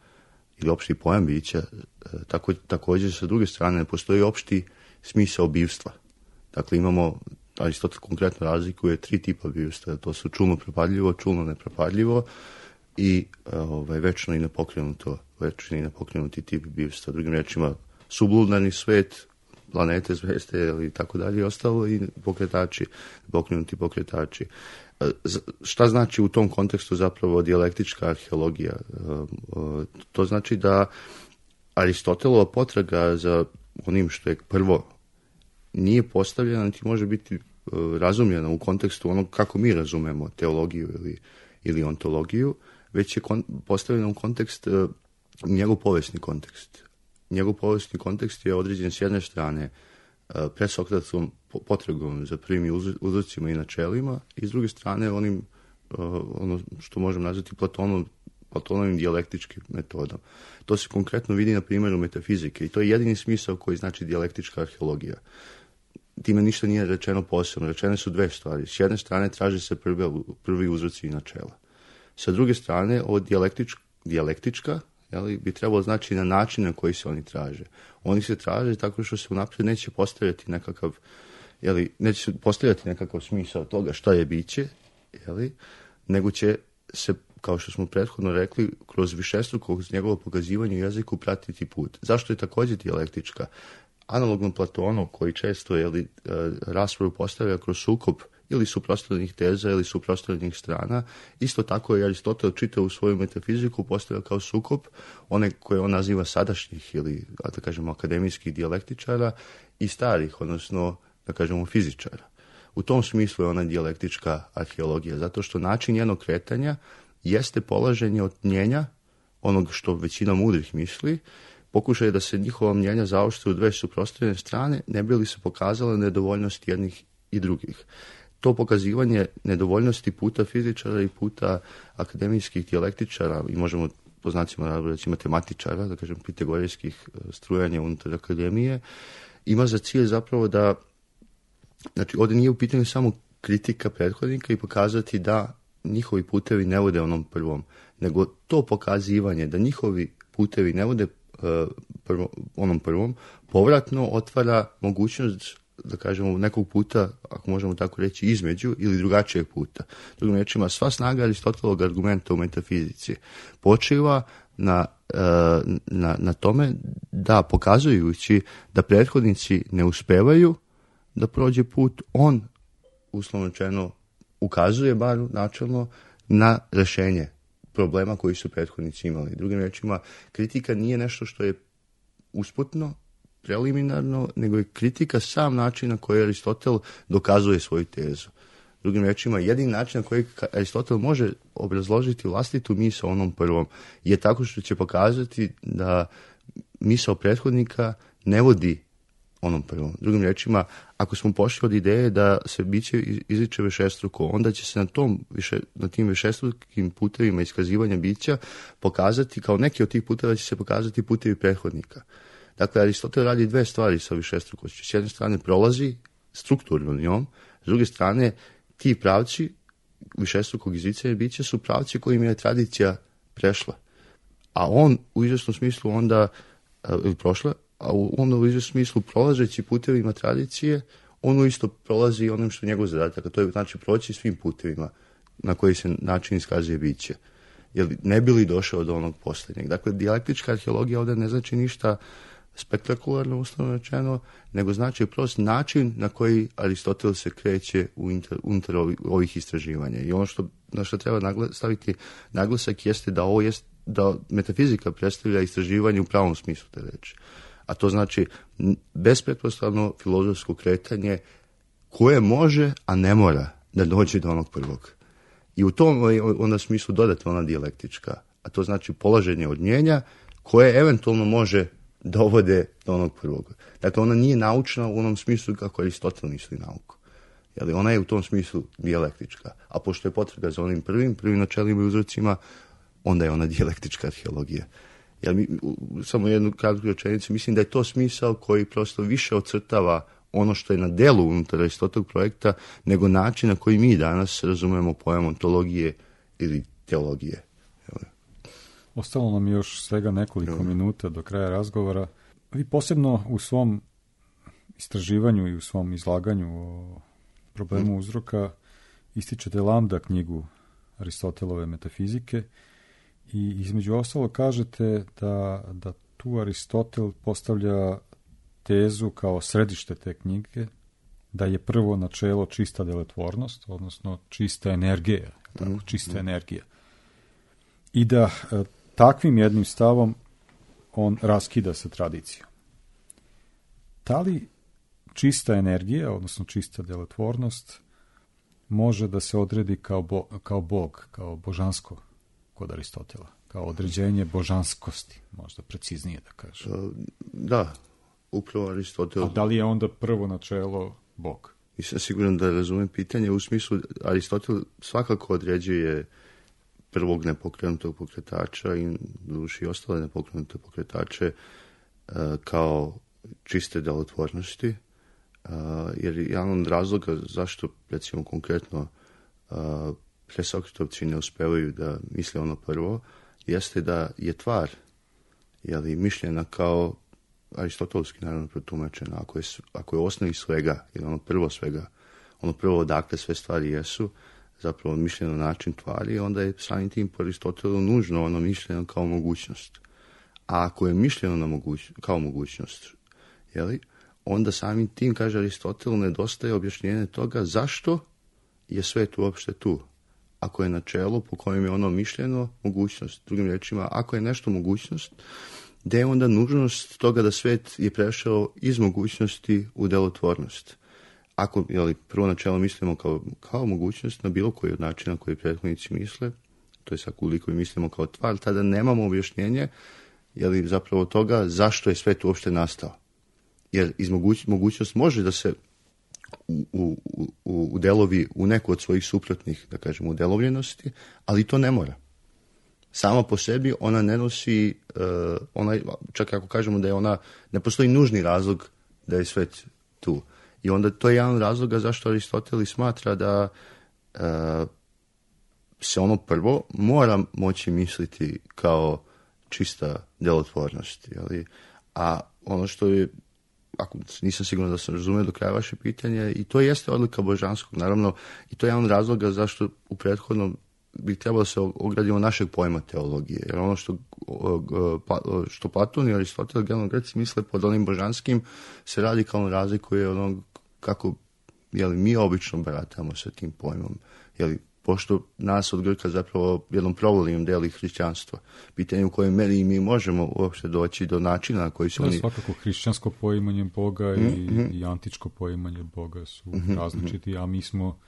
ili opšti pojam bića, tako, također sa druge strane ne postoji opšti smisao bivstva. Dakle, imamo, Aristotel konkretno razlikuje tri tipa bivstva, to su čulno propadljivo, čulno nepropadljivo i ovaj, večno i nepokrenuto, večno i nepokrenuti tip bivstva. Drugim rečima, sublunarni svet, planete, zvezde ili tako dalje i ostalo, i pokretači, pokrenuti pokretači. Šta znači u tom kontekstu zapravo dijalektička arheologija? To znači da Aristotelova potraga za onim što je prvo nije postavljena, niti može biti razumljena u kontekstu onog kako mi razumemo teologiju ili, ili ontologiju, već je kon, postavljena u kontekst, njegov povijesni kontekst. Njegov povijesni kontekst je određen s jedne strane presokratskom potragom za prvim uzrocima i načelima i s druge strane onim, ono što možemo nazvati Platonom, Platonovim dijalektičkim metodom. To se konkretno vidi na primjeru metafizike i to je jedini smisao koji znači dijalektička arheologija. Time ništa nije rečeno posebno. Rečene su dve stvari. S jedne strane traže se prvi, prvi uzroci i načela. Sa druge strane, ovo dijalektič, dijalektička jeli, bi trebalo znači na način na koji se oni traže. Oni se traže tako što se unaprijed neće postavljati nekakav, jeli, neće se postavljati nekakav smisao toga šta je biće, jeli, nego će se, kao što smo prethodno rekli, kroz višestruko, kroz njegovo pokazivanje u jeziku pratiti put. Zašto je također dijalektička? Analogno Platonu, koji često, jeli, raspravu postavlja kroz sukob ili suprotstavljenih teza ili suprotstavljenih strana, isto tako je Aristotel čitao u svoju metafiziku, postavlja kao sukob one koje on naziva sadašnjih ili, da kažemo, akademijskih dijalektičara i starih, odnosno da kažemo, fizičara. U tom smislu je ona dijalektička arheologija, zato što način njenog kretanja jeste polaženje od mnjenja, onog što većina mudrih misli, pokušaj da se njihova mnjenja zaoštre u dve suprotstavljene strane, ne bi li se pokazala nedovoljnost jednih i drugih. To pokazivanje nedovoljnosti puta fizičara i puta akademijskih dijalektičara, i možemo po znacima reći matematičara, da kažem pitagorijskih strujanja unutar akademije, ima za cilj zapravo da, znači ovdje nije u pitanju samo kritika prethodnika i pokazati da njihovi putevi ne vode onom prvom, nego to pokazivanje da njihovi putevi ne vode uh, prvo, onom prvom, povratno otvara mogućnost, da kažemo, nekog puta, ako možemo tako reći, između ili drugačijeg puta. Drugim riječima, sva snaga Aristotelovog argumenta u metafizici počiva na, na, na tome da, pokazujući da prethodnici ne uspevaju da prođe put, on, uslovno rečeno, ukazuje bar načelno na rješenje problema koji su prethodnici imali. Drugim riječima, kritika nije nešto što je usputno, preliminarno, nego je kritika sam način na koji Aristotel dokazuje svoju tezu. Drugim rečima, jedini način na koji Aristotel može obrazložiti vlastitu misao onom prvom je tako što će pokazati da misao prethodnika ne vodi onom prvom. Drugim rečima, ako smo pošli od ideje da se biće izriče višestruko, onda će se na, tom više, na tim višestrukim putevima iskazivanja bića pokazati, kao neki od tih puteva će se pokazati putevi prethodnika. Dakle, Aristotel radi dve stvari sa višestrukošću. S jedne strane prolazi strukturno njom, s druge strane ti pravci višestrukog izricanja bića su pravci kojim je tradicija prešla. A on u izvjesnom smislu onda, ili prošla, a onda u izvjesnom smislu prolazeći putevima tradicije, on isto prolazi onom što je njegov zadatak, a to je znači proći svim putevima na koji se način iskazuje biće. Jer ne bi li došao do onog posljednjeg. Dakle, dijalektička arheologija ovdje ne znači ništa spektakularno, uslovno rečeno, nego znači prost način na koji Aristotel se kreće unutar, unutar ovih istraživanja. I ono što, na što treba nagla, staviti naglasak jeste da ovo jest, da metafizika predstavlja istraživanje u pravom smislu te reči. A to znači bespretpostavno filozofsko kretanje koje može, a ne mora da dođe do onog prvog. I u tom onda smislu dodatno ona dijalektička, a to znači polaženje od mnjenja koje eventualno može dovode do onog prvog. Dakle, ona nije naučna u onom smislu kako Aristotel misli nauku. Jeli, ona je u tom smislu dijalektička. A pošto je potraga za onim prvim, prvim načelima i uzrocima, onda je ona dijalektička arheologija. Jel, mi, samo jednu kratku rečenicu, mislim da je to smisao koji prosto više ocrtava ono što je na delu unutar Aristotelovog projekta, nego način na koji mi danas razumemo pojam ontologije ili teologije. Jel. Ostalo nam još svega nekoliko Jel. minuta do kraja razgovora. Vi posebno u svom istraživanju i u svom izlaganju o problemu uzroka ističete Lambda knjigu Aristotelove metafizike i između ostalo kažete da, da tu Aristotel postavlja tezu kao središte te knjige, da je prvo načelo čista delotvornost, odnosno čista energija, tako, čista energija. I da e, takvim jednim stavom on raskida sa tradicijom. Da li čista energija, odnosno čista delotvornost, može da se odredi kao, bo, kao Bog, kao božansko kod Aristotela, kao određenje božanskosti, možda preciznije da kažem? Da, upravo Aristotel. A da li je onda prvo načelo Bog? Nisam siguran da razumem pitanje. U smislu, Aristotel svakako određuje prvog nepokrenutog pokretača i duši ostale nepokrenute pokretače uh, kao čiste delotvornosti. Uh, jer jedan od razloga zašto, recimo konkretno, uh, presokretovci ne uspevaju da misle ono prvo, jeste da je tvar, jeli, mišljena kao aristotelski, naravno, protumačena. Ako je, ako je osnovi svega, ili ono prvo svega, ono prvo odakle sve stvari jesu, zapravo mišljeno način tvari, onda je samim tim po Aristotelu nužno ono mišljeno kao mogućnost. A ako je mišljeno na moguć, kao mogućnost, jeli, onda samim tim, kaže Aristotel, nedostaje objašnjenje toga zašto je svet uopšte tu. Ako je načelo po kojem je ono mišljeno mogućnost. Drugim rečima, ako je nešto mogućnost, gde je onda nužnost toga da svet je prešao iz mogućnosti u delotvornost. ako jeli, prvo načelo mislimo kao, kao mogućnost na bilo koji od načina koji prethodnici misle, to je sad koliko mislimo kao tvar, tada nemamo objašnjenje jeli, zapravo toga zašto je svet uopšte nastao. Jer iz moguć, mogućnost može da se u, u, u, u delovi u neku od svojih suprotnih, da kažemo, udelovljenosti, ali to ne mora. Sama po sebi ona ne nosi, uh, ona, čak ako kažemo da je ona, ne postoji nužni razlog da je svet tu. I onda to je jedan razloga zašto Aristotel smatra da uh, se ono prvo mora moći misliti kao čista djelotvornost. Jeli? A ono što je, ako nisam siguran da sam razumio do kraja vaše pitanje, i to jeste odlika božanskog, naravno, i to je jedan razloga zašto u prethodnom bi trebalo se ogradimo našeg pojma teologije. Jer ono što, što Platon i Aristotel, generalno Greci, misle pod onim božanskim, se radikalno razlikuje od onog kako jeli, mi obično baratamo sa tim pojmom. Jeli, pošto nas od Grka zapravo jednom provolijom deli hrišćanstvo. Pitanje u kojoj meri mi možemo uopšte doći do načina na koji su oni... oni... Svakako hrišćansko poimanje Boga mm, i, mm. i antičko poimanje Boga su mm, različiti, a mi smo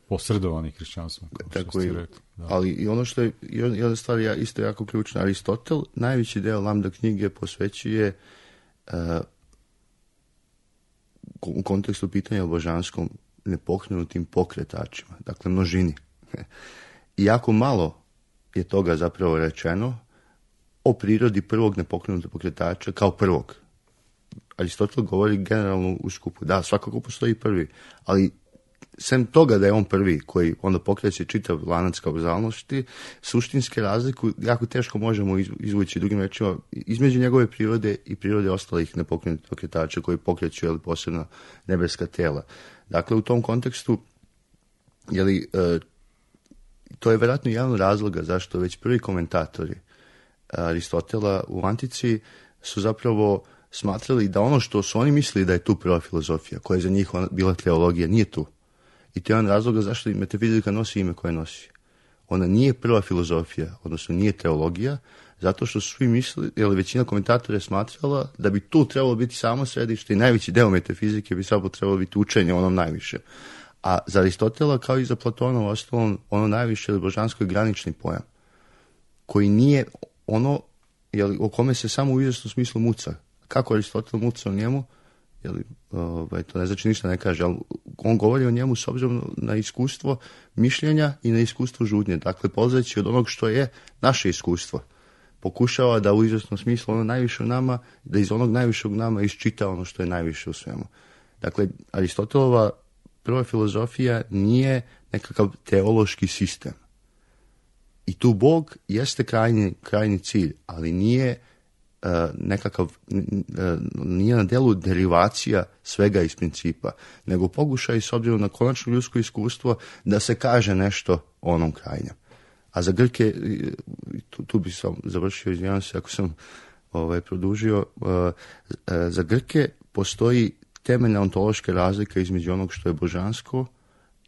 posredovani hrišćanstvom, kao što tako ste i, rekli. Da. Ali i ono što je, jedna stvar je isto jako ključna, Aristotel najveći deo Lambda knjige posvećuje uh, u kontekstu pitanja o božanskom nepokrenutim pokretačima, dakle množini. I jako malo je toga zapravo rečeno o prirodi prvog nepokrenutog pokretača kao prvog. Aristotel govori generalno u skupu, da, svakako postoji prvi, ali sem toga da je on prvi koji onda pokreće čitav lanac kauzalnosti, suštinske razliku jako teško možemo izvući, drugim rečima, između njegove prirode i prirode ostalih nepokrenutih pokretača koji pokreću jeli, posebno nebeska tela. Dakle, u tom kontekstu jeli, e, to je vjerojatno jedan razloga zašto već prvi komentatori Aristotela u antici su zapravo smatrali da ono što su oni mislili da je tu prva filozofija, koja je za njih bila teologija, nije tu. I to je jedan razloga zašto metafizika nosi ime koje nosi. Ona nije prva filozofija, odnosno nije teologija, zato što su svi mislili, jer većina komentatora je smatrala da bi tu trebalo biti samo središte i najveći deo metafizike bi samo trebalo biti učenje onom najviše. A za Aristotela, kao i za Platona, u ostalom, ono najviše je božansko granični pojam, koji nije ono jeli, o kome se samo u izvjesnom smislu muca. Kako Aristotel muca o njemu, jeli, ovaj, to ne znači ništa ne kaže, ali on govori o njemu s obzirom na iskustvo mišljenja i na iskustvo žudnje. Dakle, polazeći od onog što je naše iskustvo, pokušava da u izvjesnom smislu ono najviše u nama, da iz onog najvišeg nama iščita ono što je najviše u svemu. Dakle, Aristotelova prva filozofija nije nekakav teološki sistem. I tu Bog jeste krajnji, krajnji cilj, ali nije uh, nekakav, uh, nije na delu derivacija svega iz principa, nego pokušaj s obzirom na konačno ljudsko iskustvo da se kaže nešto o onom krajnjem. A za Grke, tu, tu bi sam završio, izvinjavam se ako sam ovaj, produžio, uh, uh, za Grke postoji temeljna ontološka razlika između onog što je božansko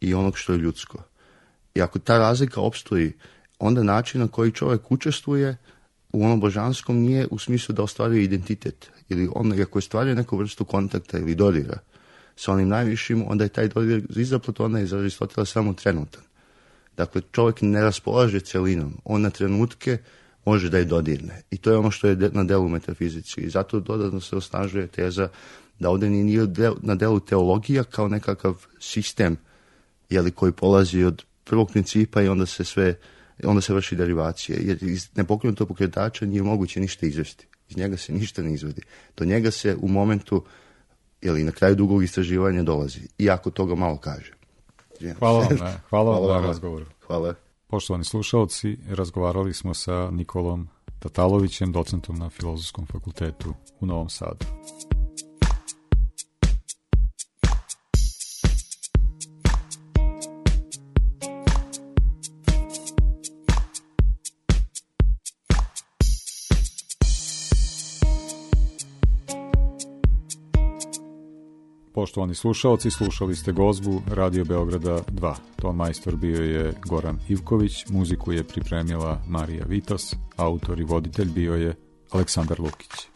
i onog što je ljudsko. I ako ta razlika opstoji, onda način na koji čovjek učestvuje u onom božanskom nije u smislu da ostvaruje identitet. Ili on, ako ostvaruje neku vrstu kontakta ili dodira sa onim najvišim, onda je taj dodir iza Platona i za Aristotela samo trenutan. Dakle, čovjek ne raspolaže celinom. On na trenutke može da je dodirne. I to je ono što je na delu metafizici. I zato dodatno se osnažuje teza da ovdje nije na delu teologija kao nekakav sistem jeli, koji polazi od prvog principa i onda se sve, onda se vrši derivacije. Jer iz nepokrenutog pokretača nije moguće ništa izvesti. Iz njega se ništa ne izvodi. Do njega se u momentu, jeli, na kraju dugog istraživanja dolazi. Iako toga malo kaže. Hvala vam, ne. Hvala vam na razgovoru. Hvala. Poštovani slušalci, razgovarali smo sa Nikolom Tatalovićem, docentom na Filozofskom fakultetu u Novom Sadu. Poštovani slušalci, slušali ste gozbu Radio Beograda dva. Ton majstor bio je Goran Ivković, muziku je pripremila Marija Vitas, autor i voditelj bio je Aleksandar Lukić.